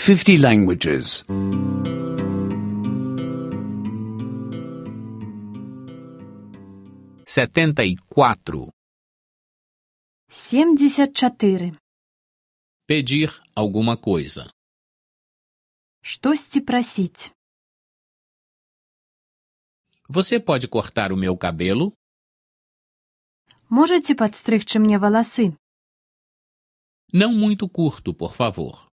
50 languages. 74. 74. Pedir alguma coisa. Штосьці прасіць. Você pode cortar o meu cabelo? Можаце падстрыгчы мне валасы? Não muito curto, por favor.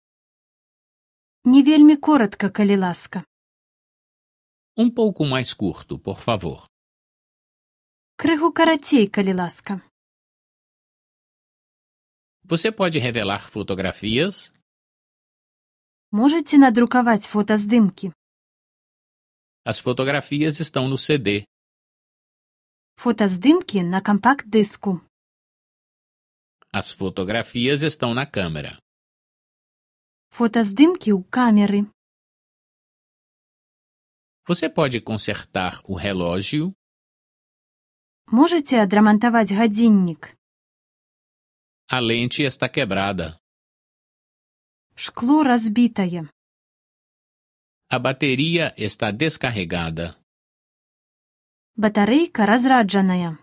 Не вельмі коратка, калі ласка. Um pouco mais curto, por favor. Крыху карацей, калі ласка. Você pode revelar fotografias? Можаце надрукаваць фотаздымкі? As fotografias estão no CD. Фотаздымкі на кампакт-дыску. As fotografias estão na câmera. Фотаздымкі ў камеры. Você pode consertar o relógio? Можаце адрамантаваць гадзіннік? A lente está quebrada. Шкло разбітае. A bateria está descarregada. Батарэйка разраджаная.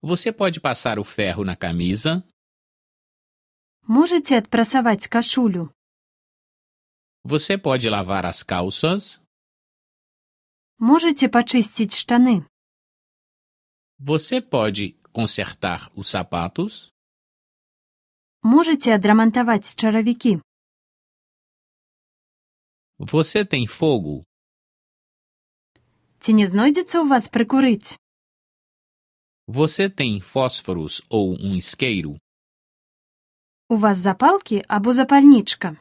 Você pode passar o ferro na camisa? Можаце адпрасаваць кашулю? Você pode lavar as calças? Можаце пачысціць штаны? Você pode consertar os sapatos? Можаце адрамантаваць чаравікі? Você tem fogo? Ці не знойдзецца ў вас прыкурыць? Você tem fósforos ou um isqueiro? У вас запалкі або запальнічка?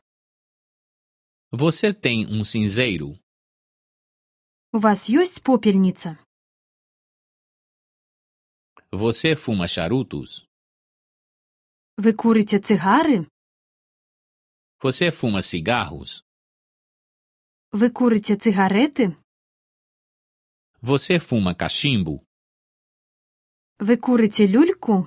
Você tem um cinzeiro? У вас ёсць попельніца? Você fuma charutos? Вы курыце цыгары? Você fuma cigarros? Вы курыце цыгарэты? Você fuma cachimbo? Вы курыце люльку?